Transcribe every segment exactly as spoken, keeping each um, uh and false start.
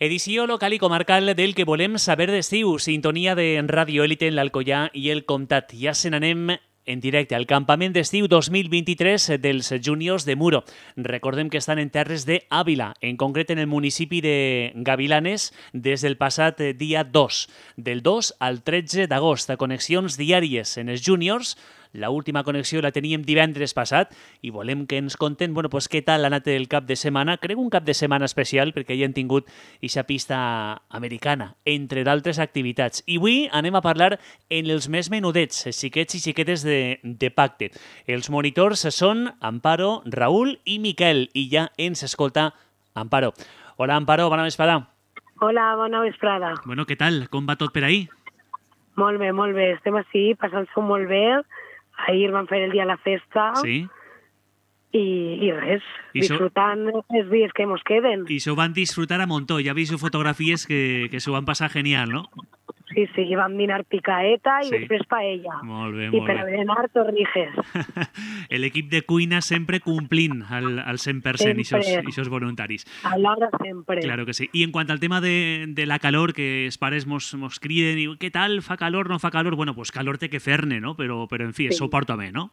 Edició local i comarcal del que volem saber d'estiu. Sintonia de Ràdio Élite en l'Alcoià i el Comtat. Ja se n'anem en directe al campament d'estiu dos mil vint-i-tres dels júniors de Muro. Recordem que estan en terres d'Àvila, en concret en el municipi de Gavilanes, des del passat dia dos, del dos al tretze d'agost, a connexions diàries en els júniors. La última connexió la teníem divendres passat i volem que ens conten, bueno, pues, què tal ha anat el cap de setmana. Crec un cap de setmana especial perquè hi han tingut aquesta pista americana, entre d'altres activitats. I avui anem a parlar en els més menudets, xiquets i xiquetes de, de pacte. Els monitors són Amparo, Raül i Miquel, i ja ens escolta Amparo. Hola, Amparo, bona vesprada. Hola, bona vesprada. Bueno, què tal? Com va tot per ahir? Molt bé, molt bé. Estem així, passant-s'ho molt bé. Ahir vam fer el dia de la festa. Sí. I, i res, I disfrutant so... els dies que mos queden. I s'ho van disfrutar a montó. Ja he vist fotografies que, que s'ho van passar genial, no? Sí, sí, vam dinar picaeta i sí. després paella. Molt bé, I molt per bé. a berenar torrijes. L'equip de cuina sempre complint al, al cent per cent, i aquests voluntaris. A l'hora sempre. Claro que sí. I en quant al tema de, de la calor, que els pares mos, mos criden i què tal, fa calor, no fa calor? Bueno, pues calor té que fer-ne, no? Però, però en fi, sí. S'ho porta bé, no?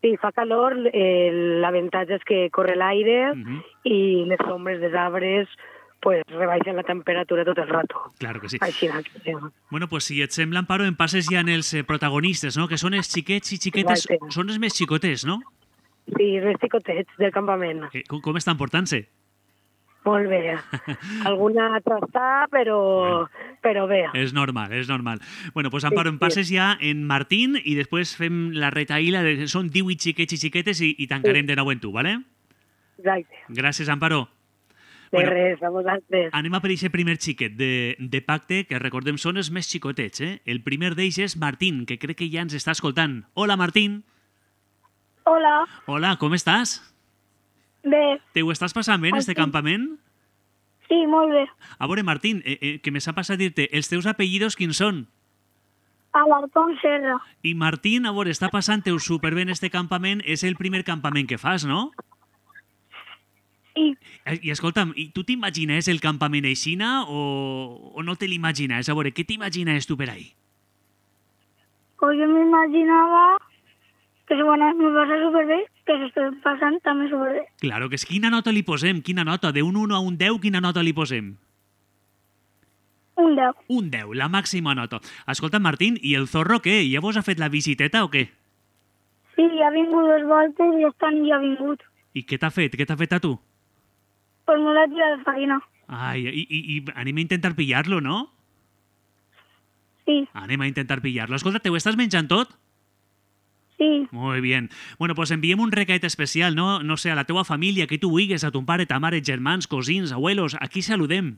Sí, fa calor, eh, l'avantatge és que corre l'aire uh-huh. i les ombres dels arbres pues rebaixen la temperatura tot el rato. Claro que sí. Així, sí. Bueno, pues si et sembla, Amparo, en passes ja en els protagonistes, no? Que són els xiquets i xiquetes, exacte. Són els més xicotes, no? Sí, els més xicotets del campament. Eh, com, com estan portant-se? Molt bé. Alguna trastà, però, bueno, però bé. És normal, és normal. Bueno, pues Amparo, sí, en passes sí. ja en Martín i després fem la retaïla, de, són divuit xiquets i xiquetes i, i tancarem sí. de nou en tu, ¿vale? Exacte. Gràcies, Amparo. De bueno, res, a vosaltres. Anem a per aquest primer xiquet de, de pacte, que recordem són els més xicotets. Eh? El primer d'ells és Martín, que crec que ja ens està escoltant. Hola, Martín. Hola. Hola, com estàs? Bé. Te ho estàs passant bé en este campament? Sí, molt bé. A veure, Martín, eh, eh, que me s'ha passat dir-te, els teus apellidos quins són? Alarcón Serra. I Martín, a veure, està passant-te superbé en este campament, és el primer campament que fas, no? Sí. I escolta'm, i tu t'imagines el campament aixina o, o no te l'imagines? A veure, què t'imagines tu per ahí? Pues yo me imaginaba que bueno, me pasa súper bé, que se estoy pasando también súper bé. Claro, que és quina nota li posem? Quina nota? De un un a un deu, quina nota li posem? Un deu. Un deu, la màxima nota. Escolta, Martín, i el zorro què? Ja vos ha fet la visiteta o què? Sí, ja ha vingut dos voltes i aquest any ja ha vingut. I què t'ha fet? Què t'ha fet a tu? Pues me l'ha tirat de farina. Ai, i, i, i anem a intentar pillar-lo, no? Sí. Anem a intentar pillar-lo. Escolta, te ho estàs menjant tot? Sí. Muy bien. Bueno, pues enviem un recaet especial, no? No sé, a la teua família, que tu vulguis, a ton pare, ta mare, germans, cosins, abuelos, a qui saludem?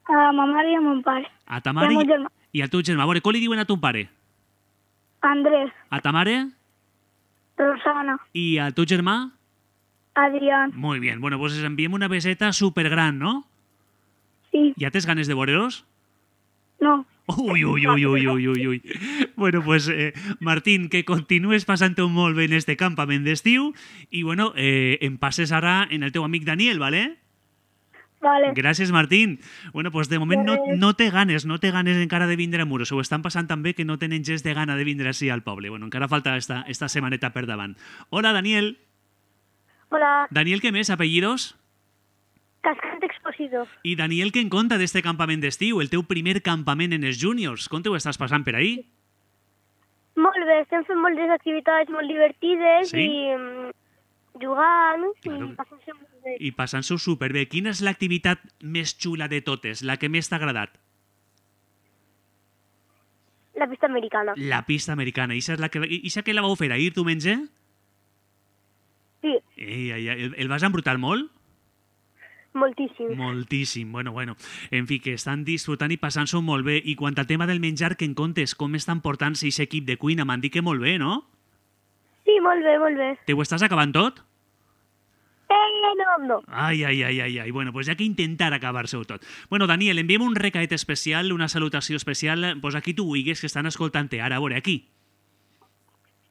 A ma mare i a mon pare. A ta mare i, i al teu germà. A veure, com li diuen a ton pare? Andrés. A ta mare? Rosana. I al teu germà? Adrián. Muy bien. Bueno, pues enviem una beseta supergran, ¿no? Sí. ¿Ya tens ganes de veure-los? No. Uy, uy, uy, uy, uy, uy, uy. Bueno, pues, eh, Martín, que continues passant-ho molt bé en este campament d'estiu i, bueno, eh, em passes ara en el teu amic Daniel, ¿vale? Vale. Gràcies, Martín. Bueno, pues de moment no, no té ganes, no té ganes encara de vindre a Muro. S'ho estan passant tan bé que no tenen gest de gana de vindre així al poble. Bueno, encara falta esta, esta setmaneta per davant. Hola, Daniel. Hola. Daniel, ¿qué més? ¿Apellidos? Cascante Expositor. I Daniel, què en conta d'este campament d'estiu? El teu primer campament en els júniors. Com te ho estàs passant per ahí? Molt bé, estem fent moltes activitats molt divertides sí? i um, jugant claro. i passant-se molt bé. I passant-s'ho superbé. Quina és l'activitat més xula de totes? La que més t'ha agradat? La pista americana. La pista americana. I és la que, i que la vau fer ahir, tu menys? Sí. Ei, ei, el, el vas embrutar molt? Moltíssim. Moltíssim. Bueno, bueno. En fi, que estan disfrutant i passant-s'ho molt bé. I quant al tema del menjar, que en comptes, com estan portant-se aquest equip de cuina? M'han dit que molt bé, no? Sí, molt bé, molt bé. Te ho estàs acabant tot? Eh, no, no. Ai, ai, ai, ai, ai. Bueno, pues hi ha que intentar acabar-se-ho tot. Bueno, Daniel, enviem un recaet especial, una salutació especial, pues aquí tu vulguis, que estan escoltant-te ara. A veure, aquí.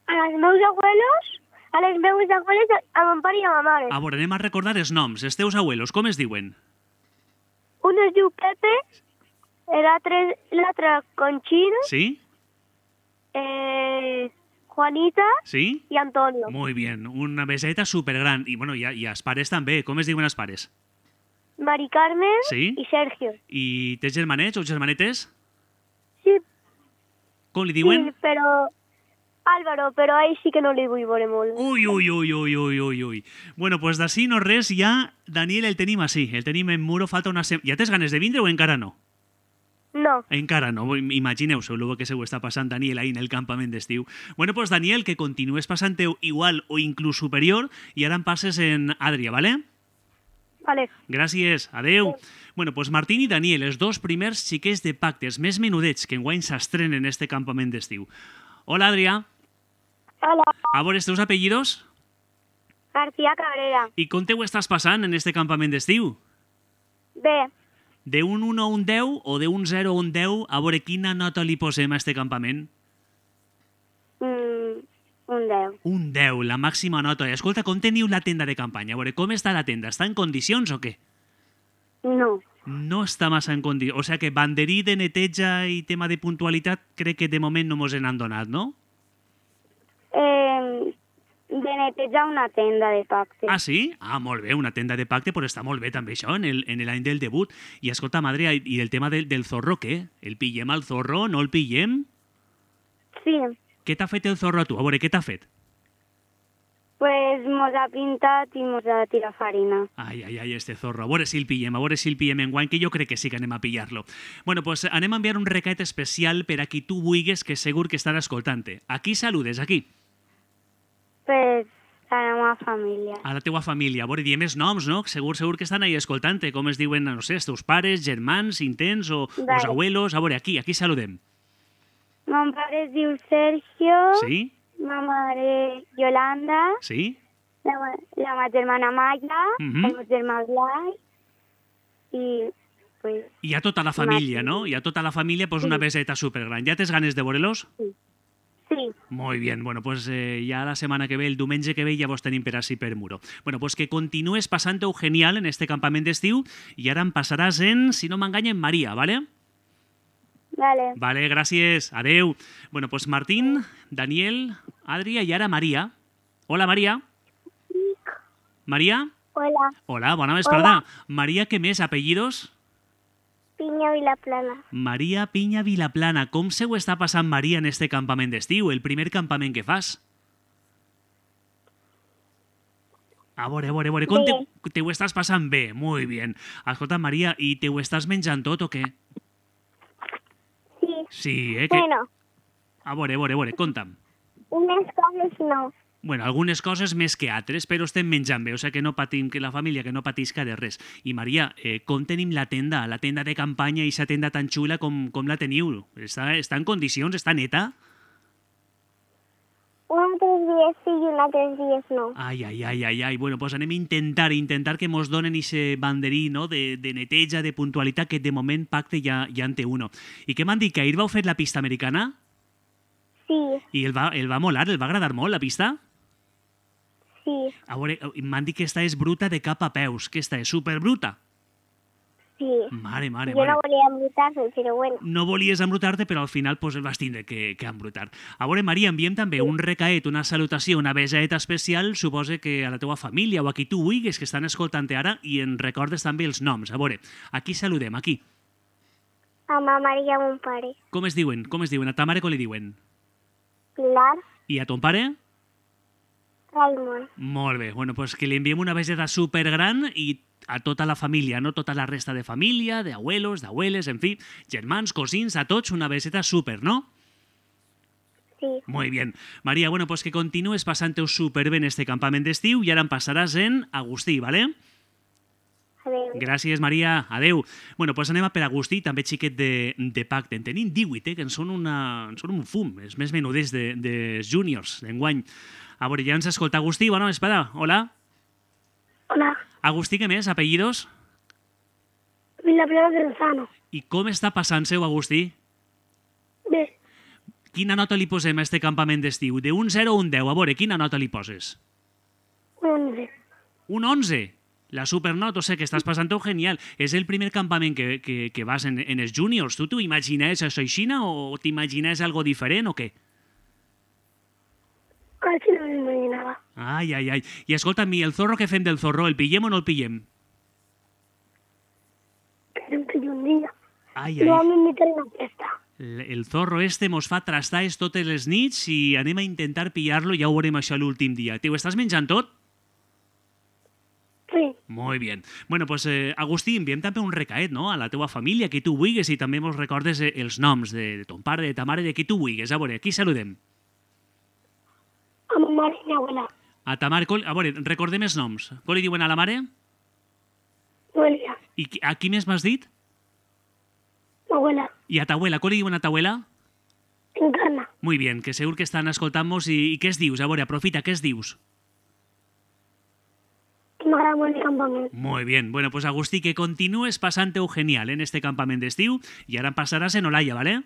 A els meus abuelos... A les meves abueles, a mon pare i a ma mare. A veure, anem a recordar els noms. Els teus abuelos, com es diuen? un es diu Pepe, l'altre l'altre Conchín, Sí? eh, Juanita Sí? i Antonio. Muy bien, una beseta supergran. I, bueno, i, i els pares també. Com es diuen els pares? Mari Carmen Sí? i Sergio. I tens germanets o germanetes? Sí, Com li diuen? sí, però... Álvaro, però a ell sí que no li vull veure molt. Ui, ui, ui, ui, ui, ui, ui. Bueno, pues d'ací no res, ja Daniel el tenim així. El tenim en Muro, falta una setmana. Ja tens ganes de vindre o encara no? No. Encara no, imagineu-se el que se ho està passant Daniel ahí en el campament d'estiu. Bueno, pues Daniel, que continues passant-te igual o inclús superior i ara em passes en Adria, ¿vale? Vale. Gràcies, adeu. Bueno, pues Martín i Daniel, els dos primers xiquets de pactes més menudets que enguany s'estrenen en este campament d'estiu. Hola, Adrià. Hola. A veure, els teus apellidos? García Cabrera. I com te ho estàs passant en este campament d'estiu? Bé, De un un a un deu o de un zero a un deu, a veure quina nota li posem a este campament? mm, un deu. Un deu, la màxima nota. Escolta, com teniu la tenda de campanya? A veure, com està la tenda? Està en condicions o què? No. No està massa en condicions. O sigui que banderí de neteja i tema de puntualitat crec que de moment no mos n'han donat, no? Eh, de netejar una tenda de pacte. Ah, sí? Ah, molt bé, una tenda de pacte, però està molt bé també això, en el- en l'any del debut. I escolta, Madre, i el tema del, del zorro, què? El pillem al zorro? No el pillem? Sí, Què t'ha fet el zorro a tu? A veure, què t'ha fet? pues mos ha pintat i mos ha tirat farina. Ai, ai, ai, este zorro. A veure si el pillem, a veure si el pillem en guany, que jo crec que sí que anem a pillar-lo. Bueno, pues anem a enviar un recat especial per a qui tu vulguis, que segur que estan escoltant-te. A qui saludes, aquí? Pues a la meva família. A la teua família. A veure, diem els noms, no? Segur, segur que estan ahí escoltant-te. Com es diuen, no sé, els teus pares, germans, intents o Vale. els abuelos. A veure, aquí, aquí saludem. Mon pare es diu Sergio, Sí? ma mare Yolanda, Sí? la, la meva germana Maya, Mhm. el meu germà Blai i pues, I a tota la família, Martín. no? I a tota la família, pues una Sí. beseta supergran. Ja tens ganes de veure-los? sí. Muy bien, bueno, pues eh, ya la semana que ve, el diumenge que ve, ja vos tenim per així per Muro. Bueno, pues que continues passant-ho genial en este campament d'estiu i ara em passaràs en, si no m'enganya, en Maria, ¿vale? Vale. Vale, gràcies, adeu. Bueno, pues Martín, Daniel, Adria i ara Maria. Hola, Maria. Maria? Hola, Hola, bona vesprada. Maria, què més? Apellidos? Piña Vilaplana. Maria Piña Vilaplana. Com se ho està passant Maria en este campament d'estiu, el primer campament que fas? A veure, a veure, a veure, com te, te ho estàs passant bé? Muy bien. Escolta, Maria, i te ho estàs menjant tot o què? Sí, Sí, eh? Que... bueno, A veure, a veure, a veure, conta'm. unes coses no. Bueno, algunes coses més que altres, però estem menjant bé, o sigui que no patim, que la família que no patisca de res. I Maria, eh, com tenim la tenda, la tenda de campanya i aquesta tenda tan xula, com, com la teniu? Està, està en condicions? Està neta? Un altres dies sí i un altres dies no. Ai, ai, ai, ai, ai. Bueno, pues anem a intentar, intentar que mos donen ese banderí, no?, de, de neteja, de puntualitat, que de moment pacte ja, ja en té uno. I què m'han dit, que ahir vau fer la pista americana? Sí, I el va, el va molar, el va agradar molt, la pista? sí, A veure, m'han dit que esta és bruta de cap a peus, que esta és superbruta. sí. Mare, mare, Jo mare. no volia embrutar-me, però bueno. No volies embrutar-te, però al final pues, el vas tindre que, que embrutar. A veure, Maria, enviem també un recaet, una salutació, una besaeta especial, suposa que a la teua família o a qui tu vulguis que estan escoltant ara i en recordes també els noms. A veure, aquí saludem, aquí. A ma mare i a mon pare. Com es diuen? Com es diuen? A ta mare com li diuen? Pilar, I a ton pare? Raimon. Molt bé. Bueno, pues que li enviem una beseta supergran i a tota la família, no tota la resta de família, d'abuelos, d'abueles, en fi, germans, cosins, a tots una beseta super, no? Sí, Muy bien. Maria, bueno, pues que continues passant-ho superbé en este campament d'estiu i ara em passaràs en Agustí, ¿vale? adéu. Gràcies, Maria. Adeu. Bueno, pues anem a per Agustí, també xiquet de, de pacte. En tenim divuit, eh, que en són, una, en són un fum, els més menuders de, de júniors d'enguany. A veure, ja ens escolta Agustí. Bona vesprada. Hola. Hola, Agustí, què més? Apellidos? Vilaplana de Lozano. I com està passant-se-ho, Agustí? Bé, Quina nota li posem a este campament d'estiu? De un zero a un deu. A veure, quina nota li poses? un onze. Un onze. La Supernot, o sea, que estàs passant-ho genial. És el primer campament que, que, que vas en, en els juniors. Tu t'ho imaginaves això aixina o t'imaginaves algo diferent o què? Quasi no m'imaginava. Ai, ai, ai. I escolta'm, i el zorro que fem del zorro, el pillem o no el pillem? Que em pillo un dia. Ai, I ai. vam invitar a una festa. El, el zorro este mos fa trastaes totes les nits i anem a intentar pillar-lo i ja ho veurem això l'últim dia. Te ho estàs menjant tot? Sí. Molt bé. Bueno, pues, eh, Agustí, enviem també un recaet, no?, a la teua família, qui tu vulguis, i també mos recordes eh, els noms de, de ton pare, de ta mare, de qui tu vulguis. A veure, aquí saludem. A ma mare i a mi abuela. A ta mare, col- a veure, recordem els noms. Com li diuen a la mare? Noelia. I qui- a qui més m'has dit? Ma abuela. I a ta abuela, com li diuen a ta abuela? Encarna. Muy bien, que segur que estan escoltant-nos i, i què es dius? A veure, aprofita, què es dius? Que m'agrada molt el campament. Muy bien. Bueno, pues Agustí, que continúes pasante genial en este campament d'estiu i ara en passaràs en Olaya, ¿vale?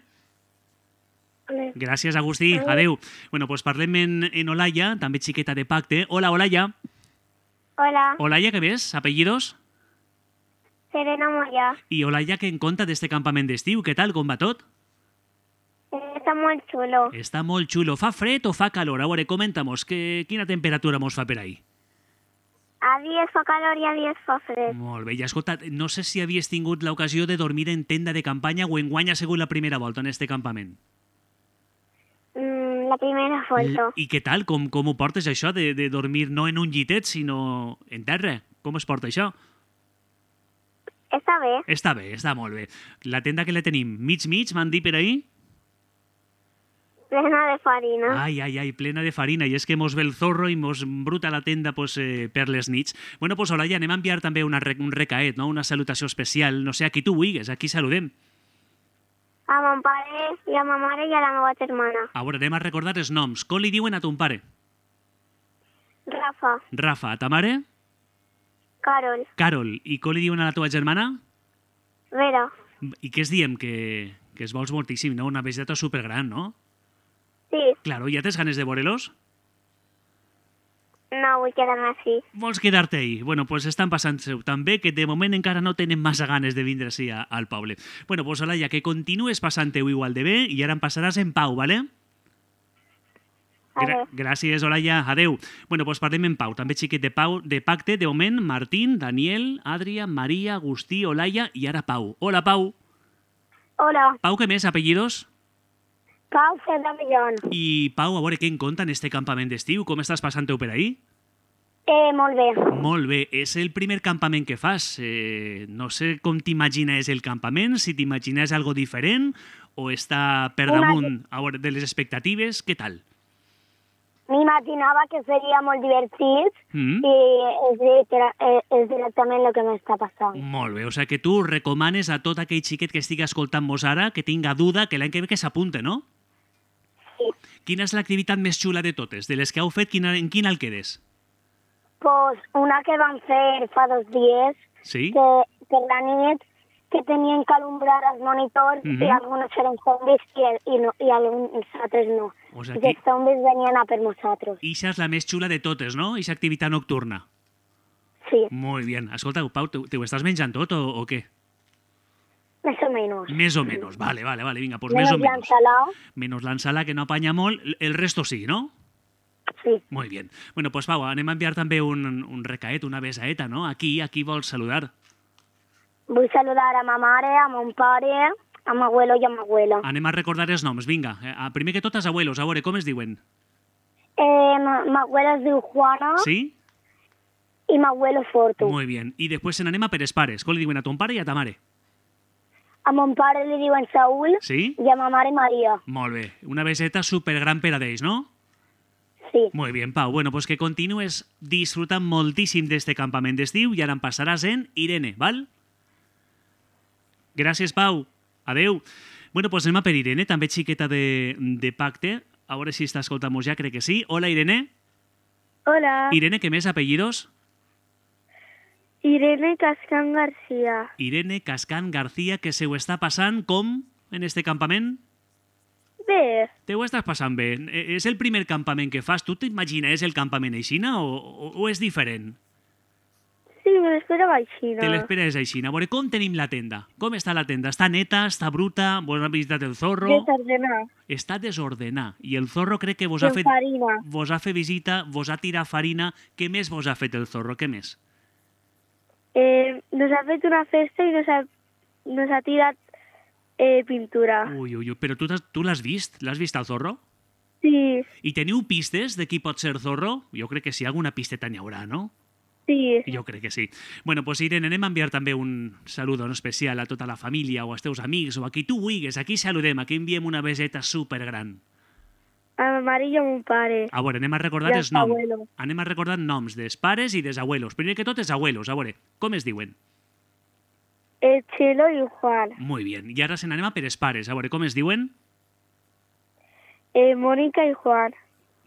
Vale. Gràcies, Agustí. Adeu. Bueno, pues parlem en, en Olaya, també xiqueta de pacte. Hola, Olaya. Hola, Olaya, què ves? Apellidos? Serena Moya. I Olaya, què en conta d'este campament d'estiu? Què tal? Com va tot? Està molt xulo. Està molt xulo. Fa fred o fa calor? A veure, comenta-mos, que, quina temperatura mos fa per ahí? A dies fa calor i a dies fa fred. Molt bé. I escolta, no sé si havies tingut l'ocasió de dormir en tenda de campanya o enguany ha sigut la primera volta en este campament. Mm, la primera volta. I què tal? Com, com ho portes això de, de dormir no en un llitet, sinó en terra? Com es porta això? Està bé. Està bé, està molt bé. La tenda que la tenim, mig-mig, m'han dit per ahí? Plena de farina. Ai, ai, ai, plena de farina. I és que mos ve el zorro i mos bruta la tenda pues, eh, per les nits. Bueno, pues Olaya, anem a enviar també una, re- un recaet, no? Una salutació especial. No sé, a qui tu vulguis, aquí saludem. A mon pare i a ma mare i a la meva germana. A veure, anem a recordar els noms. Com li diuen a ton pare? Rafa, Rafa. A ta mare? Carol, Carol. I com li diuen a la teva germana? Vera. I què es diem? Que, que es vols moltíssim, no? Una visita supergran, no? Sí, Claro, ja tens ganes de veure-los? no vull quedar-me així. Vols quedar-te ahí? Bueno, pues estan passant-se tan bé que de moment encara no tenen massa ganes de vindre així a- al poble. Bueno, pues Olaya, que continues passant-ho igual de bé i ara en passaràs en pau, ¿vale? Gra Adéu. Gràcies, Olaya. Adeu. Bueno, pues parlem en pau. També xiquet de, pau, de pacte. De moment, Martín, Daniel, Adria, Maria, Agustí, Olaya i ara Pau. Hola, Pau. Hola. Pau, què més? Apellidos? Pau Cerdà Millón. I Pau, a veure què en compta en este campament d'estiu. Com estàs passant-ho per ahí? Eh, molt bé. Molt bé. És el primer campament que fas. Eh, no sé com t'imagines el campament, si t'imagines algo diferent o està per Una- damunt a veure, de les expectatives. Què tal? M'imaginava que seria molt divertit Mm? i és, directe- eh, és directament el que m'està passant. Molt bé. O sigui que tu recomanes a tot aquell xiquet que estigui escoltant-nos ara que tinga duda que l'any que ve que s'apunte, no? Sí. Quina és l'activitat més xula de totes? De les que heu fet, quina, en quina el quedes? Pues una que vam fer fa dos dies, Sí? que per la nit, que tenien que alumbrar els monitors Mhm. i alguns eren zombis i, i, no, i alguns altres no. O I sigui que els zombis venien a per nosaltres. ixa és la més xula de totes, no? Ixa activitat nocturna. Sí, Molt bé. Escolta, Pau, te, te ho estàs menjant tot o, o què? més o menys. Més o menys. Vale, vale, vale. Vinga, pues més o Menys menys. l'ensalada, Menos la ensalada que no apanya molt, el resto sí, no? sí. Muy bien. Bueno, pues Pau, anem a enviar també un, un recaet, una besaeta, no? Aquí, aquí vols saludar. Vull saludar a ma mare, a mon pare, a m'abuelo i a m'abuela. Anem a recordar els noms, vinga. Eh, primer que tot, els abuelos, a veure, com es diuen? Eh, ma- m'abuela es diu Juana Sí? i m'abuelo Fortu. Muy bien. I després se n'anem a per els pares. Com li diuen a ton pare i a ta mare? A mon pare li diuen Saúl Sí? i a ma mare Maria. Molt bé. Una beseta supergran per a d'ells, no? Sí. Muy bien, Pau. Bueno, pues que continues disfrutant moltíssim d'este campament d'estiu i ara en passaràs en Irene, val? Gràcies, Pau. Adeu. Bueno, pues anem a per Irene, també xiqueta de, de pacte. A veure si està escoltant-nos ja, crec que sí. Hola, Irene. Hola, Irene, què més? Apellidos? Irene Cascán García. Irene Cascán García, que se ho està passant com en este campament? Bé, Te ho estàs passant bé. Eh, És el primer campament que fas. Tu t'imagines el campament aixina o, o, o és diferent? sí, Sí, me l'esperava així, no? Te l'esperes així. A veure, com tenim la tenda? Com està la tenda? Està neta? Està bruta? Vos ha visitat el zorro? Desordenar. Està desordenada. I el zorro crec que vos I ha amb fet... farina. Vos ha fet visita, vos ha tirat farina. Què més vos ha fet el zorro? Què més? Eh, nos ha fet una festa i nos ha, nos ha tirat eh, pintura. Ui, ui, ui. Però tu, t'has- tu l'has vist? L'has vist al zorro? Sí, I teniu pistes de qui pot ser zorro? Jo crec que sí, alguna pisteta n'hi haurà, no? sí. Jo crec que sí. Bueno, pues Irene, anem a enviar també un saludo no especial a tota la família o als teus amics o a qui tu vulguis. Aquí saludem, aquí enviem una beseta supergran. A ma mare i a mon pare. A veure, anem a recordar I els als noms. abuelos. Anem a recordar noms dels pares i dels abuelos. Primer que tot, els abuelos. A veure, com es diuen? El Chelo i el Juan. Muy bien. I ara se n'anem a per els pares. A veure, com es diuen? Eh, Mónica i Juan.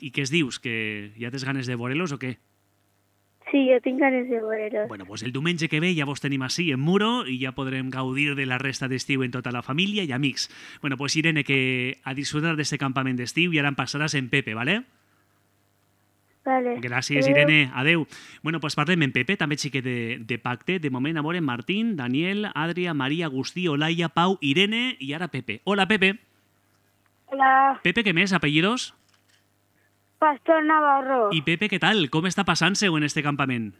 I què es dius? Que ja tens ganes de veure-los o què? Sí, jo tinc ganes de veure-los. Bueno, pues el diumenge que ve ja vos tenim així en Muro i ja podrem gaudir de la resta d'estiu en tota la família i amics. Bueno, pues Irene, que a disfrutar d'este campament d'estiu i ara em passaràs en Pepe, ¿vale? Vale. Gràcies, Adéu. Irene. Adeu. Bueno, pues parlem en Pepe, també xiquet de, de pacte. De moment, a veure, Martín, Daniel, Adria, Maria, Agustí, Olaia, Pau, Irene i ara Pepe. Hola, Pepe. Hola, Pepe, què més? Apellidos? Pastor Navarro. I Pepe, què tal? Com està passant-se-ho en este campament?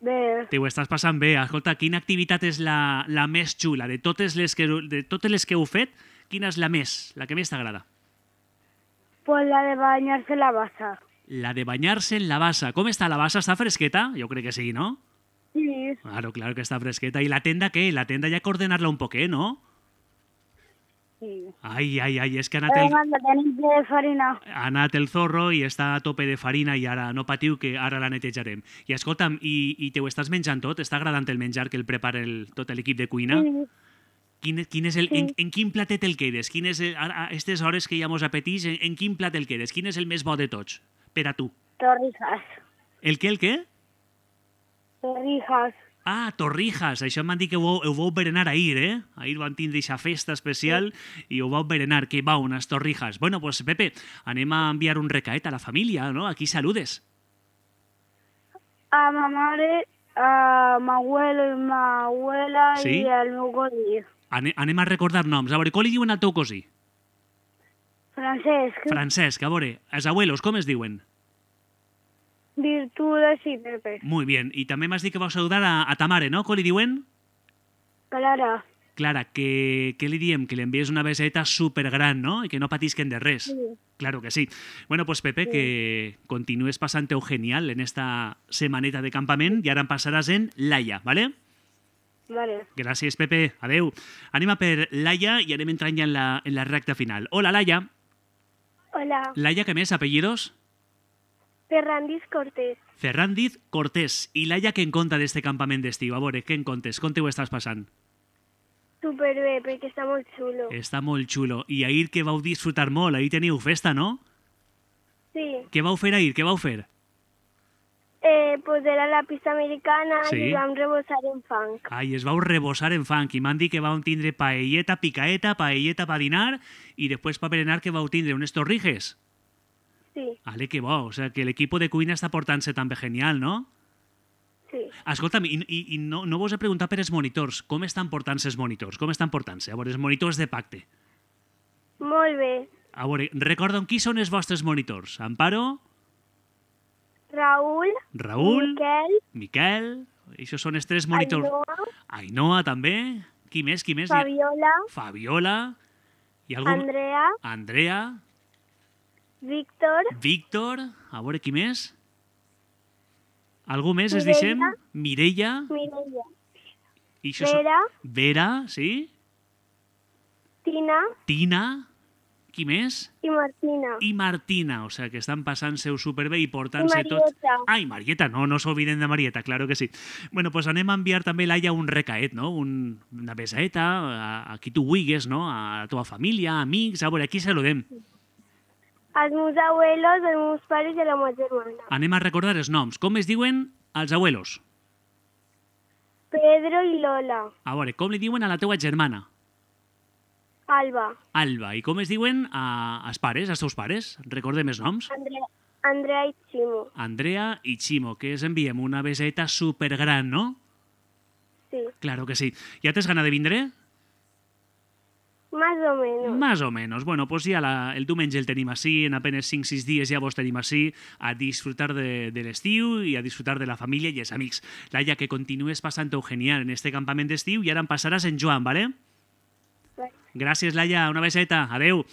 Bé, Te ho estàs passant bé. Escolta, quina activitat és la, la més xula? De totes, les que, de totes les que heu fet, quina és la més, la que més t'agrada? pues la de bañarse en la bassa. La de banyar-se en la bassa. Com està la bassa? Està fresqueta? Jo crec que sí, no? Sí, Claro, claro que està fresqueta. I la tenda què? La tenda ja que ordenar-la un poquet, no? sí. Ai, ai, ai, és que ha anat, Però el, manda, tenim de farina. ha anat el zorro i està a tope de farina i ara no patiu que ara la netejarem. I escolta'm, i, i te ho estàs menjant tot? Està agradant el menjar que el prepara el, tot l'equip de cuina? Sí, Quin, quin és el, Sí. en, en quin platet el quedes? Quin és el, a aquestes hores que ja mos apetís, en, en quin plat el quedes? Quin és el més bo de tots? Per a tu. torrijas. El què, el què? Torrijas. Ah, torrijas. Això m'han dit que ho, vau- ho vau berenar ahir, eh? Ahir van tindre aquesta festa especial i ho vau berenar. Que va, unes torrijas. Bueno, pues Pepe, anem a enviar un recaet a la família, no? Aquí saludes. A ma mare, a ma abuelo i ma abuela Sí? i al meu cosí. Ane, anem a recordar noms. A veure, com li diuen al teu cosí? Francesc, Francesc, a veure, els abuelos, com es diuen? Virtudes i Pepe. Muy bien. I també m'has dit que vau saludar a, a ta mare, no? Com li diuen? Clara. Clara, que, que li diem? Que li envies una beseta supergran, no? I que no patisquen de res. Sí. Claro que sí. Bueno, pues Pepe, que continues passant-ho genial en esta semaneta de campament i ara em passaràs en Laia, ¿vale? Vale. Gràcies, Pepe. Adeu. Anem a per Laia i anem entrant ja en la, en la recta final. Hola, Laia. Hola, Laia, què més? Apellidos? Ferrandis Cortés. Ferrandiz Cortés. I Laia, què en conta d'este campament d'estiu? A veure, què en contes? Com te ho estàs passant? Superbé, perquè està molt xulo. Està molt xulo. I ahir que vau disfrutar molt, ahir teniu festa, no? Sí, Què vau fer ahir? Què vau fer? eh, pues era la pista americana Sí. i vam rebossar en fang. Ai, es vau rebossar en fang i m'han dit que vau tindre paelleta, picaeta, paelleta pa dinar i després pa berenar que vau tindre unes torrijes. Sí, Ale, que bo. O sea, que l'equip de cuina està portant-se també genial, no? sí. Escolta'm, i, i, i no, no vos he preguntat per els monitors. Com estan portant-se els monitors? Com estan portant-se? A veure, els monitors de pacte. Molt bé. A veure, recorda'm qui són els vostres monitors. Amparo, Raül, Raül, Miquel, Miquel... Això són els tres monitors. Ainhoa, Ainhoa, també. Qui més? Qui més? Hi ha- Fabiola, Fabiola. I algú... Andrea, Andrea, Víctor, Víctor, a veure qui més? Algú més, es Mireia. deixem? Mireia. Mireia, I això són- Vera, Vera, sí? Tina Tina. Qui més? i Martina. I Martina, o sea, que estan passant-se-ho superbé i I portant-se tot... Marieta. Ai, Marieta, no, no s'obliden de Marieta, claro que sí. Bueno, pues anem a enviar també, Laia, un recaet, no? Un, una besaeta a, a qui tu vulguis, no? A la teva família, amics, a veure, aquí saludem. Els meus abuelos, els meus pares i la meva germana. Anem a recordar els noms. Com es diuen els abuelos? Pedro i Lola. A veure, com li diuen a la teua germana? Alba. Alba. I com es diuen a, als pares, als teus pares? Recordem els noms. Andrea, Andrea i Ximo. Andrea i Ximo, que es enviem una beseta supergran, no? Sí. Claro que sí. ¿Ya tens gana de vindre? Más o menos. Más o menos. Bueno, pues ja la, el diumenge el tenim així, en apenas cinc sis dies ja vos tenim així a disfrutar de, de l'estiu i a disfrutar de la família i els amics. Laia, que continues passant-ho genial en este campament d'estiu i ara em passaràs en Joan, ¿vale? Vale. Gràcies, Laia. Una beseta. Adeu.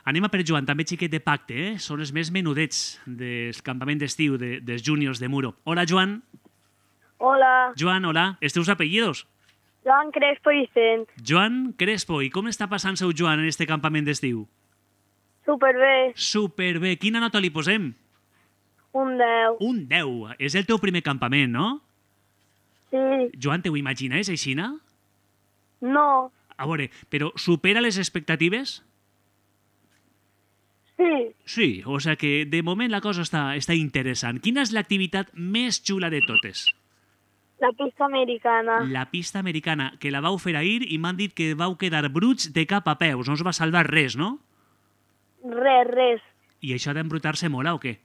Anem a per Joan, també xiquet de pacte, eh? Són els més menudets del campament d'estiu de, dels júniors de Muro. Hola, Joan. Hola, Joan, hola. Els teus apellidos? Joan Crespo i Vicent. Joan Crespo. I com està passant-se Joan en este campament d'estiu? Superbé, Superbé. Quina nota li posem? un deu. Un deu. És el teu primer campament, no? Sí, Joan, te ho imagines, aixina? no, A veure, però supera les expectatives? sí, Sí, o sigui que de moment la cosa està, està interessant. Quina és l'activitat més xula de totes? la pista americana. La pista americana, que la vau fer ahir i m'han dit que vau quedar bruts de cap a peus. No us va salvar res, no? Res, res. I això d'embrutar-se mola o què?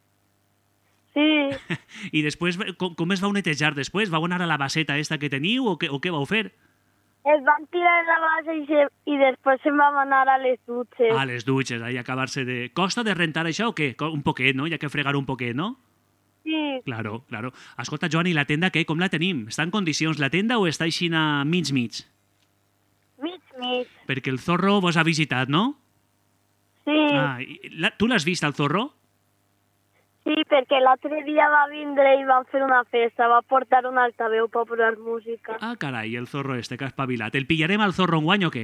Sí, I després, com, com es vau netejar després? Vau anar a la baseta esta que teniu o què, o què vau fer? es van tirar en la base i, se, i després se'n vam anar a les dutxes. A les dutxes, ahí acabar-se de... Costa de rentar això o què? Co- Un poquet, no? Hi ha que fregar un poquet, no? Sí, Claro, claro. Escolta, Joan, i la tenda què? Com la tenim? Està en condicions la tenda o està així a mig-mig? mig, mig. Perquè el zorro vos ha visitat, no? Sí, Ah, i la, tu l'has vist, el zorro? sí, perquè l'altre dia va vindre i vam fer una festa, va portar un altaveu per posar música. Ah, carai, el zorro este que ha espavilat. El pillarem al zorro enguany o què?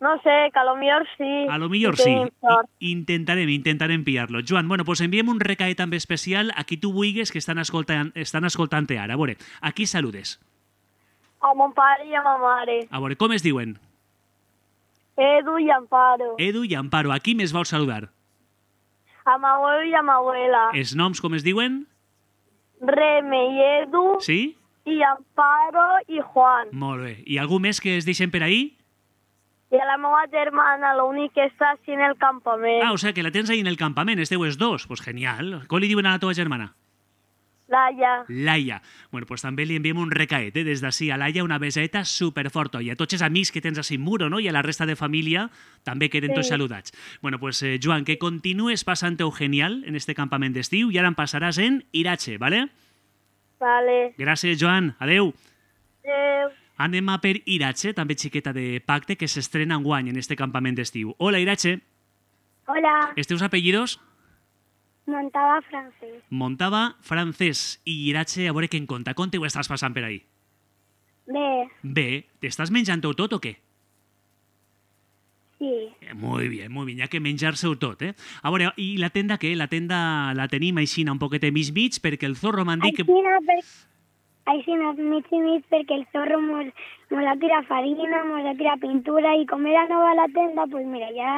No sé, que a lo millor sí. A lo millor si sí. tenim sort. I, intentarem, intentarem pillar-lo. Joan, bueno, pues enviem un recaet també especial a qui tu vulguis que estan escoltant, estan escoltant ara. A veure, a qui saludes? A mon pare i a ma mare. A veure, com es diuen? Edu i Amparo. Edu i Amparo. A qui més vols saludar? A ma abuelo i a ma abuela. Els noms com es diuen? Reme i Edu Sí? i Amparo i Juan. Molt bé. I algú més que es deixen per ahí? I a la meva germana, l'únic que està així en el campament. Ah, o sea, que la tens ahí en el campament, esteu els dos. Pues genial. Com li diuen a la teva germana? Laia. Laia. Bueno, pues també li enviem un recaet, eh? Des d'ací a Laia, una beseta superforta. I a tots els amics que tens a Muro, no? I a la resta de família també queden tots Sí. saludats. Bueno, pues eh, Joan, que continues passant-ho genial en este campament d'estiu i ara em passaràs en Irache, ¿vale? Vale. Gràcies, Joan. Adeu. Adéu. Anem a per Irache, també xiqueta de Pacte, que s'estrena enguany en este campament d'estiu. Hola, Irache. Hola, Els teus apellidos? Montava francès. Montava francès. I Irache, a veure què en conta. Com t'ho estàs passant per ahí? Bé, Bé, t'estàs menjant-ho tot o què? sí. Eh, Muy bien, muy bien, hi ha que menjar-se-ho tot, eh? A veure, i la tenda què? La tenda la tenim aixina un poquet de mig-mig perquè el zorro m'han dit que... Així no, per... Així no, mig i mig, perquè el zorro mos, mos ha tirat farina, mos ha tirat pintura, i com era nova la tenda, pues mira, ja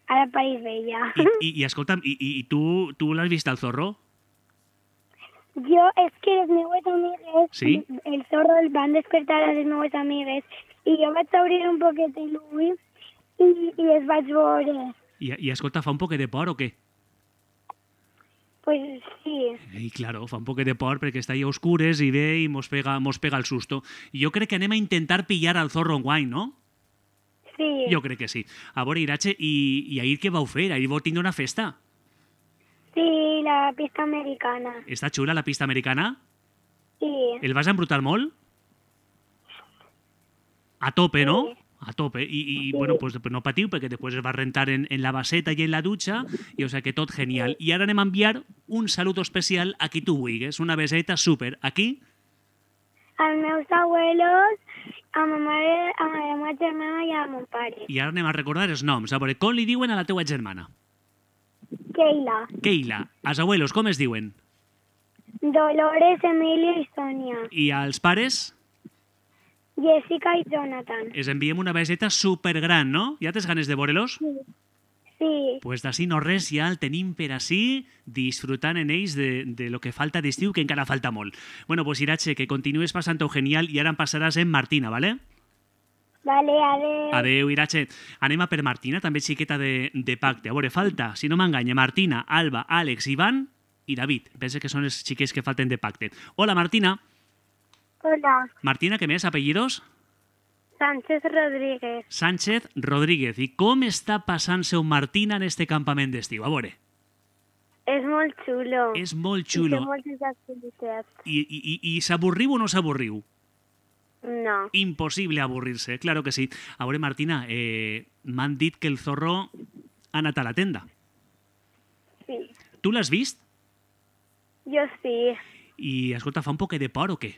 ara pareix vella. I, i, i escolta'm, i, i, i tu, tu l'has vist, el zorro? Jo, és que les meues amigues, Sí? el zorro el van despertar a les meues amigues, i jo vaig obrir un poquet l'ull i, i els vaig veure. I, i escolta, fa un poquet de por o què? Pues sí, Ei, claro, fa un poquet de por perquè està ahí a oscures i ve i mos pega, mos pega el susto. I jo crec que anem a intentar pillar al zorro enguany, no? sí. Jo crec que sí. A veure, Irache, i, i ahir què vau fer? Ahir vau tindre una festa. Sí, la pista americana. Està xula la pista americana? Sí, El vas embrutar molt? A tope, no? Sí. A tope. I, i bueno, pues, pues no patiu, perquè després es va rentar en, en la baseta i en la dutxa, i o sigui que tot genial. I ara anem a enviar un salut especial a qui tu vulguis, una beseta súper. Aquí, als meus abuelos, a ma mare, a la meva germana i a mon pare. i ara anem a recordar els noms. A veure, com li diuen a la teua germana? Keila, Keila. Els abuelos, com es diuen? Dolores, Emilio i Sonia, I als pares, Jessica i Jonathan. els enviem una beseta supergran, no? Ja tens ganes de veure-los? Sí, Pues d'ací no res, ja el tenim per ací, disfrutant en ells de, de lo que falta d'estiu, que encara falta molt. Bueno, pues Irache, que continues passant-ho genial i ara em passaràs en Martina, ¿vale? vale, adeu. Adeu, Irache. Anem a per Martina, també xiqueta de, de pacte. A veure, falta, si no m'enganya, Martina, Alba, Àlex, Ivan i David. Pensa que són els xiquets que falten de pacte. Hola, Martina. Hola. Martina, què més? Apellidos? Sánchez Rodríguez. Sánchez Rodríguez. I com està passant-se Martina en este campament d'estiu? A veure. És molt xulo. És molt I xulo. té moltes activitats. I, i, i, i s'avorriu o no s'avorriu? No. Impossible avorrir-se, claro que sí. A veure, Martina, eh, m'han dit que el zorro ha anat a la tenda. Sí. Tu l'has vist? Jo sí. I, escolta, fa un poc de por o què?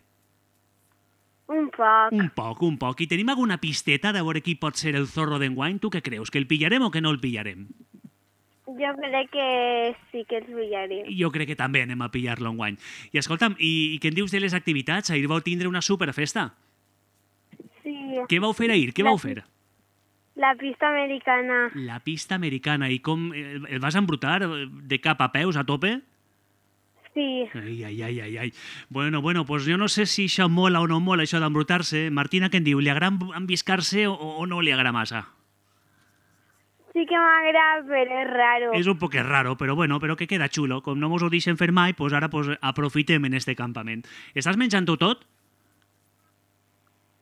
Un poc. Un poc, un poc. I tenim alguna pisteta de veure qui pot ser el zorro d'enguany? Tu què creus? Que el pillarem o que no el pillarem? Jo crec que sí que els pillarem. Jo crec que també anem a pillar-lo enguany. I escolta'm, i, i què en dius de les activitats? Ahir vau tindre una superfesta. Sí. Què vau fer ahir? Què La vau fer? La pista americana. La pista americana. I com el, el vas embrutar de cap a peus a tope? Sí. Ai, ai, ai, ai, ai. Bueno, bueno, pues jo no sé si això mola o no mola, això d'embrutar-se. Martina, què en diu? Li agrada enviscar-se o, o no li agrada massa? Sí que m'agrada, però és raro. És un poc raro, però bueno, però que queda xulo. Com no mos ho deixen fer mai, pues ara pues, aprofitem en este campament. Estàs menjant-ho tot?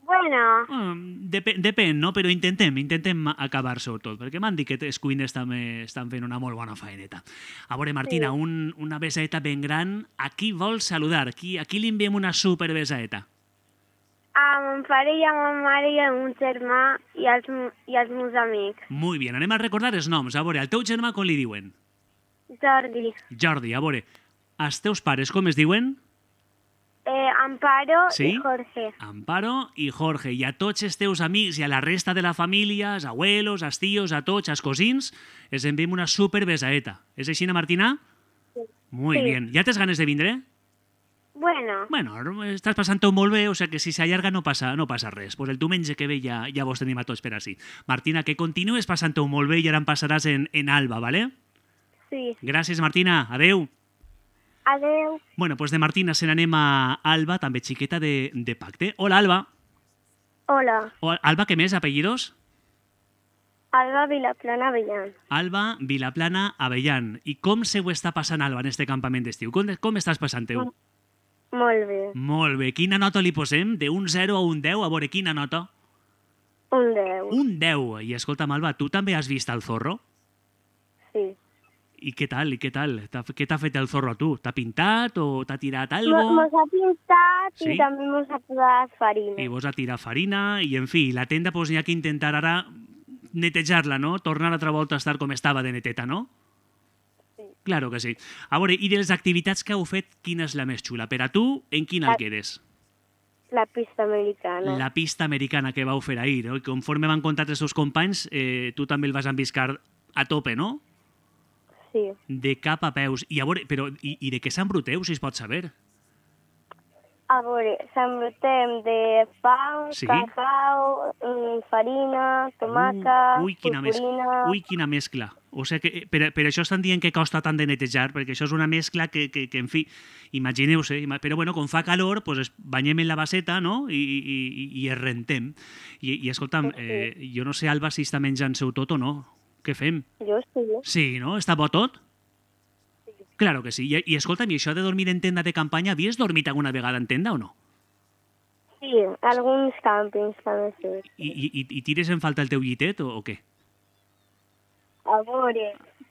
Bueno, Ah, dep depèn, no? Però intentem, intentem acabar-se-ho tot, perquè m'han dit que els cuiners també estan fent una molt bona faeneta. A veure, Martina, Sí. un, una besaeta ben gran. A qui vols saludar? Qui, a qui li enviem una super besaeta? a mon pare i a ma mare i al meu germà i als, i als meus amics. Muy bien, anem a recordar els noms. A veure, al teu germà com li diuen? Jordi, Jordi, a veure, els teus pares com es diuen? eh, Amparo Sí? i Jorge. Amparo i Jorge. I a tots els teus amics i a la resta de la família, els abuelos, els tios, a tots, els cosins, els enviem una super besaeta. És així, Martina? Sí. Muy Sí. bien. Ja tens ganes de vindre? Bueno, Bueno, estàs passant-ho molt bé, o sigui que si s'allarga no passa, no passa res. Pues el diumenge que ve ja, ja vos tenim a tots per així. Martina, que continues passant-ho molt bé i ara em passaràs en, en Alba, ¿vale? sí. Gràcies, Martina. Adeu. Adeu. Bueno, pues de Martina se n'anem a Alba, també xiqueta de, de pacte. Hola, Alba. Hola. O, Alba, què més? Apellidos? Alba Vilaplana Avellán. Alba Vilaplana Avellán. I com se ho està passant, Alba, en este campament d'estiu? Com, com estàs passant-ho? Molt bé. Molt bé. Quina nota li posem? De un zero a un deu? A veure, quina nota? Un deu. Un deu. I escolta'm, Alba, tu també has vist el zorro? Sí. I què tal? I què tal? Què t'ha fet el zorro a tu? T'ha pintat o t'ha tirat Mo- algo? Mos ha pintat Sí? i també mos ha posat farina. I vos ha tirat farina i, en fi, la tenda pues, n'hi ha que intentar ara netejar-la, no? Tornar altra volta a estar com estava de neteta, no? Sí. Claro que sí. A veure, i de les activitats que heu fet, quina és la més xula? Per a tu, en quina La- el quedes? La pista americana. La pista americana que vau fer ahir, no? I conforme van contar els seus companys, eh, tu també el vas enviscar a tope, no? Sí. De cap a peus. I a veure, però, i, i de què s'embruteu, si es pot saber? A veure, s'embrutem de pa, Sí? cacau, mm, farina, tomaca, Uh, ui, quina mescla. purpurina... Ui, quina mescla. O sigui que, per, per això estan dient que costa tant de netejar, perquè això és una mescla que, que, que en fi, imagineu-se, ima- però bueno, com fa calor, pues es banyem en la baseta, no?, i, i, i, i es rentem. I, i escolta'm, eh, jo no sé, Alba, si està menjant-se-ho tot o no. Què fem? Jo sí. Sí, no? Està bo tot? Claro que sí. I, i escolta'm, i això de dormir en tenda de campanya, havies dormit alguna vegada en tenda o no? Sí, alguns càmpings també sí. I, i, i- i tires en falta el teu llitet o, o què? A veure...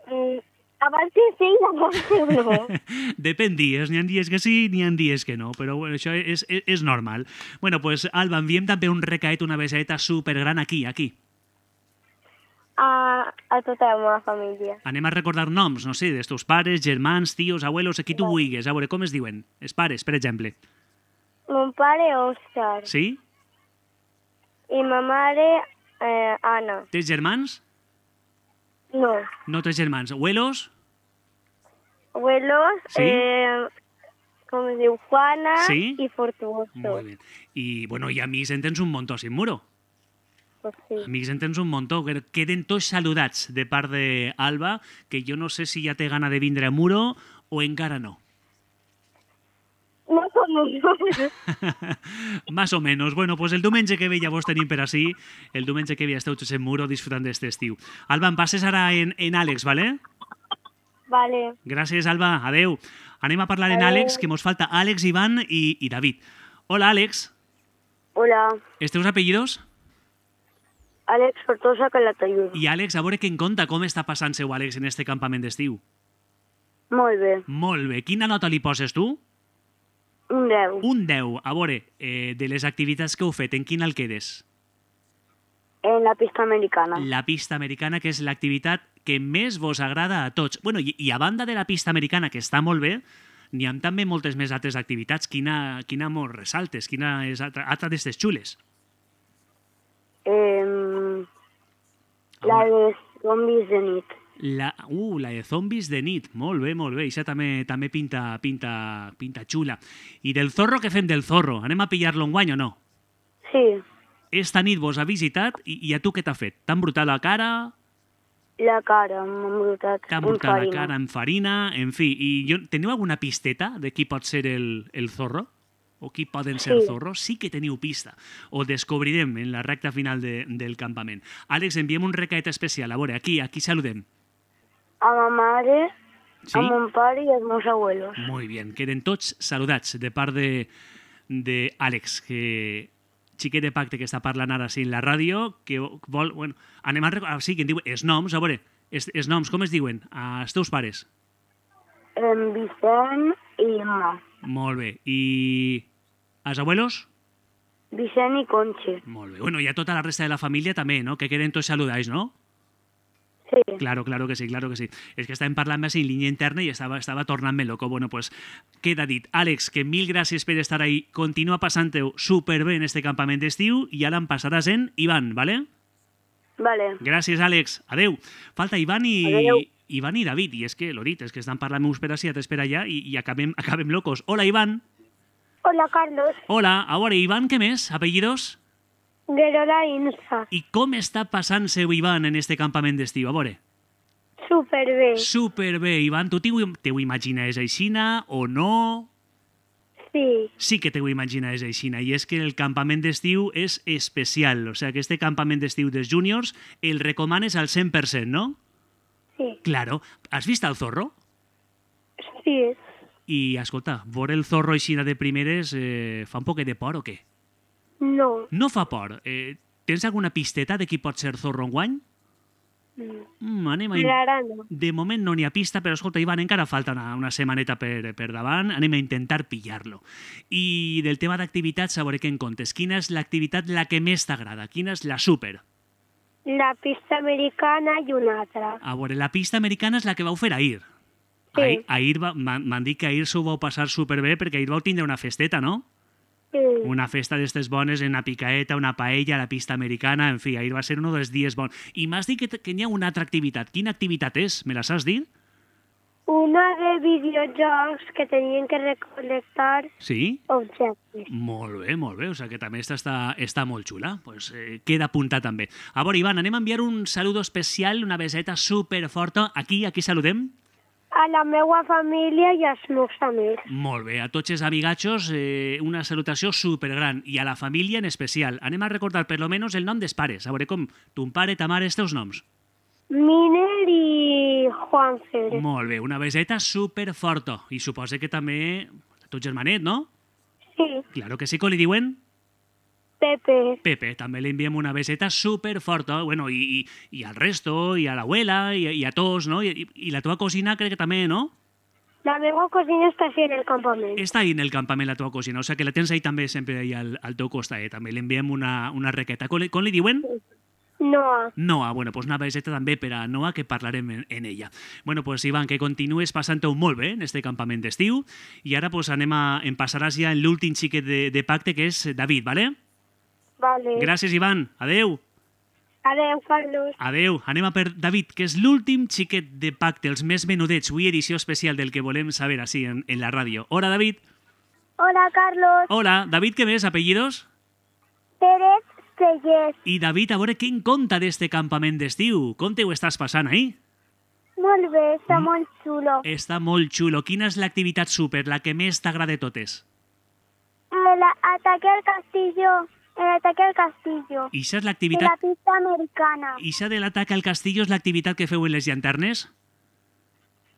Mm, abans que sí, abans que no. Depèn dies, n'hi ha dies que sí, n'hi ha dies que no, però bueno, això és, és, és normal. Bueno, pues, Alba, enviem també un recaet, una besaeta supergran aquí, aquí. A, a tota la meva família. Anem a recordar noms, no sé, dels teus pares, germans, tios, abuelos, a qui tu vulguis. A veure, com es diuen? Els pares, per exemple. Mon pare, Òscar. Sí? I ma mare, eh, Anna. Tens germans? No. No tens germans. Abuelos? Abuelos, Sí? eh, com es diu, Juana Sí? i Fortuoso. Molt bé. I, bueno, i amics en tens un muntó, sin muro. Pues sí. Amics en tens un muntó. Que queden tots saludats de part d'Alba, que jo no sé si ja té gana de vindre a Muro o encara no. No som uns. Más o menos. Bueno, pues el diumenge que ve ja vos tenim per així. El diumenge que ve esteu tots en Muro disfrutant d'este estiu. Alba, em passes ara en, en Àlex, ¿vale? Vale. Gràcies, Alba. Adeu. Anem a parlar en Adeu. Àlex, que mos falta Àlex, Iván i, i David. Hola, Àlex. Hola, Els teus apellidos? Àlex Fortosa Calatayud. I Àlex, a veure què en conta com està passant seu Àlex en este campament d'estiu. Molt bé, Molt bé. Quina nota li poses tu? un deu. Un deu. A veure, eh, de les activitats que heu fet, en quina el quedes? En la pista americana. La pista americana, que és l'activitat que més vos agrada a tots. Bueno, i, i a banda de la pista americana, que està molt bé, n'hi ha també moltes més altres activitats. Quina, quina mos ressaltes? Quina és altra, altra d'estes xules? Eh, la de zombis de nit. La, uh, la de zombis de nit. Molt bé, molt bé. Això també també pinta, pinta, pinta xula. I del zorro, què fem del zorro? Anem a pillar-lo enguany o no? Sí, Esta nit vos ha visitat i, i a tu què t'ha fet? T'han brutat la cara? la cara m'ha embrutat. T'han amb brutat la farina. cara amb farina? En fi, i jo, teniu alguna pisteta de qui pot ser el, el zorro? O qui poden ser Sí. zorros? Sí que teniu pista. Ho descobrirem en la recta final de, del campament. Àlex, enviem un recaet especial. A veure, aquí, aquí saludem. A ma mare, Sí? a mon pare i als meus abuelos. Muy bien, queden tots saludats de part de, de Àlex, que xiquet de pacte que està parlant ara sí en la ràdio, que vol... Bueno, anem a... rec- Ah, sí, que en diu els noms, a veure, els, els noms, com es diuen? Els teus pares. En Vicent i Emma. Molt bé. I els abuelos? Vicent i Conche. Molt bé. Bueno, i a tota la resta de la família també, no? Que queden tots saludats, no? Sí. Claro, claro que sí, claro que sí. És que estàvem parlant més en línia interna i estava, estava tornant-me loco. Bueno, pues queda dit. Àlex, que mil gràcies per estar ahí. Continua passant-ho superbé en este campament d'estiu i ara em passaràs en Ivan, ¿vale? Vale. Gràcies, Àlex. Adeu. Falta Ivan i... Adeu. Ivan i David. I és que, l'ho dit, és que estan parlant uns per ací, altres per allà i, i acabem, acabem locos. Hola, Ivan. Hola, Carlos. Hola. A veure, Ivan, què més? Apellidos? Guerola Insa. I com està passant-se Ivan en este campament d'estiu? A veure. Superbé. Superbé, Ivan. Tu t'ho t'ho imagines aixina o no? Sí. Sí que t'ho imagines aixina. I és que el campament d'estiu és especial. O sigui, que este campament d'estiu dels júniors el recomanes al cent per cent, no? Sí. Claro. Has vist el zorro? Sí. I, escolta, veure el zorro aixina de primeres eh, fa un poquet de por o què? No. No fa por. Eh, tens alguna pisteta de qui pot ser zorro enguany? Mm, anem a... in- Ara no. De moment no n'hi ha pista, però escolta, Ivan, encara falta una, una setmaneta per, per davant. Anem a intentar pillar-lo. I del tema d'activitats, a veure què en comptes. Quina és l'activitat la que més t'agrada? Quina és la súper? La pista americana i una altra. A veure, la pista americana és la que vau fer ahir. Sí. Ahir, ahir va- m'han m'han dit que ahir s'ho vau passar superbé perquè ahir vau tindre una festeta, no? Sí. Una festa d'estes bones, una picaeta, una paella, la pista americana, en fi, ahir va ser un dels dies bons. I m'has dit que, t- que n'hi ha una altra activitat. Quina activitat és? Me la saps dir? Una de videojocs que tenien que recolectar Sí? objectes. Molt bé, molt bé. O sigui que també està, està, està molt xula. Pues, eh, queda apuntat també. A veure, Ivan, anem a enviar un saludo especial, una beseta superforta. Aquí, aquí saludem. A la meva família i als meus amics. Molt bé. A tots els amigatxos, eh, una salutació supergran. I a la família en especial. Anem a recordar per lo menos el nom dels pares. A veure com ton pare, ta mare, els teus noms. Miner i Juanfer. Molt bé. Una beseta superforta. I suposa que també a tu germanet, no? Sí. Claro que sí, com li diuen? Pepe. Pepe, també li enviem una beseta superforta, bueno, i, i, i al resto, i a l'abuela, i, i a tots, no? I, i la teva cosina crec que també, no? La meva cosina està així en el campament. Està ahí en el campament la teva cosina, o sigui que la tens ahí també sempre ahí al, al teu costat, eh? També li enviem una, una requeta. Com li, com li diuen? Noa. Noa, bueno, pues una beseta també per a Noa, que parlarem en, en ella. Bueno, pues Ivan, que continues passant-ho molt bé en este campament d'estiu, i ara pues anem a, em passaràs ja en l'últim xiquet de, de pacte, que és David, vale? Vale. Gràcies, Ivan. Adeu. Adeu, Carlos. Adeu. Anem a per David, que és l'últim xiquet de pacte, els més menudets, avui edició especial del que volem saber així en, en la ràdio. Hola, David. Hola, Carlos. Hola. David, què més? Apellidos? Pérez Sellers. I David, a veure què en compta d'este campament d'estiu. Com te ho estàs passant ahí? Molt bé, està molt xulo. Està molt xulo. Quina és l'activitat súper, la que més t'agrada de totes? El ataque al castillo. El ataque al castillo. Ixa és De la l'activitat... pista americana. Ixa de l'atac al castillo és l'activitat que feu en les llanternes?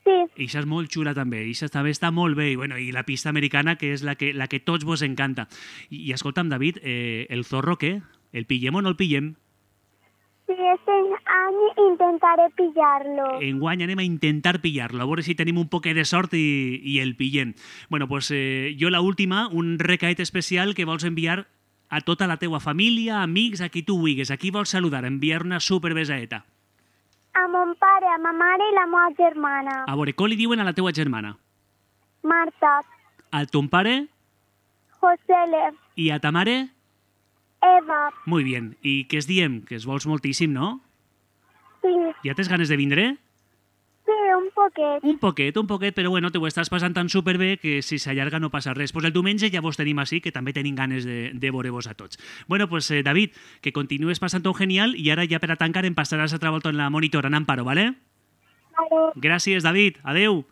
Sí. Ixa és molt xula també, ixa també està molt bé, i, bueno, i la pista americana, que és la que, la que tots vos encanta. I, i escolta'm, David, eh, el zorro què? El pillem o no el pillem? Sí, este any intentaré pillar-lo. Enguany anem a intentar pillar-lo, a veure si tenim un poquet de sort i, i el pillem. Bueno, pues eh, jo la última, un recaet especial que vols enviar a tota la teua família, amics, a qui tu vulguis, a qui vols saludar, enviar una superbesaeta. A mon pare, a ma mare i la meva germana. A veure, com li diuen a la teua germana? Marta. A ton pare? Josele. I a ta mare? Eva. Muy bien. I què es diem? Que es vols moltíssim, no? Sí. Ja tens ganes de vindre? Sí, un poquet. Un poquet, un poquet, però bueno, te ho estàs passant tan superbé que si s'allarga no passa res. Pues el diumenge ja vos tenim així, que també tenim ganes de, de veure-vos a tots. Bueno, pues eh, David, que continues passant-ho genial i ara ja per a tancar em passaràs altra volta en la monitora en Amparo, ¿vale? Vale. Gràcies, David. Adeu.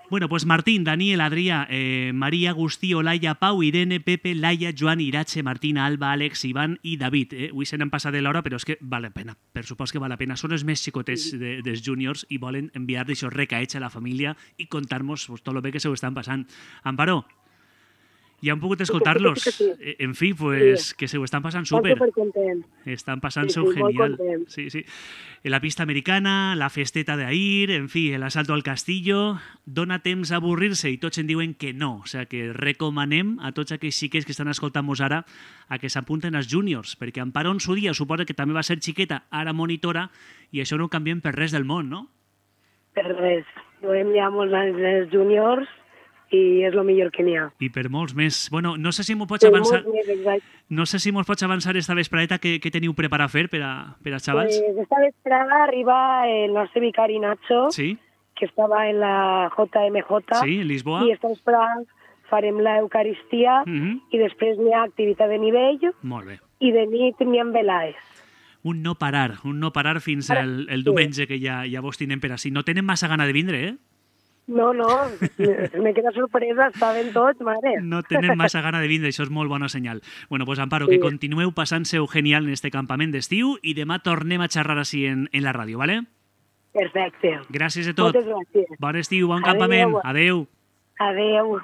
Bueno, pues Martín, Daniel, Adrià, eh, Maria, Agustí, Olaia, Pau, Irene, Pepe, Laia, Joan, Irache, Martina, Alba, Àlex, Ivan i David. Eh? Avui se n'han passat de l'hora, però és que val la pena. Per supost que val la pena. Són els més xicotets de, dels júniors i volen enviar d'això recaets a la família i contar-nos pues, tot el bé que se ho estan passant. Amparo, ja hem pogut escoltar-los. En fi, pues, sí. Que se ho estan passant súper. Estan passant-se-ho sí, sí, genial. Sí, sí. La pista americana, la festeta d'ahir, en fi, l'asalto al castillo, dona temps a avorrir-se i tots en diuen que no. O sigui, que recomanem a tots aquells xiquets que estan escoltant-nos ara a que s'apunten als júniors, perquè Amparo en su dia suposa que també va ser xiqueta, ara monitora, i això no ho canviem per res del món, no? Per res. Duem ja molts anys els júniors i és el millor que n'hi ha. I per molts més. Bueno, no sé si m'ho pots avançar... Més, no sé si m'ho pots avançar esta vesprada que, que teniu preparat a fer per a, per als xavals. Pues esta vesprada arriba el nostre vicari Nacho, sí? Que estava en la J M J. Sí, en Lisboa. I esta vesprada farem l'Eucaristia mm -hmm. i després n'hi ha activitat de nivell. Molt bé. I de nit n'hi ha velaes. Un no parar, un no parar fins al el diumenge que ja, ja vos tenen per així. No tenen massa gana de vindre, eh? No, no, me queda sorpresa, estaven tots, mare. No tenen massa gana de vindre, això és molt bona senyal. Bueno, pues Amparo, sí. Que continueu passant-se-ho genial en este campament d'estiu i demà tornem a xerrar així en, en la ràdio, ¿vale? Perfecte. Gràcies a tot. Moltes gràcies. Bon estiu, bon Adeu. campament. Adeu. Adeu.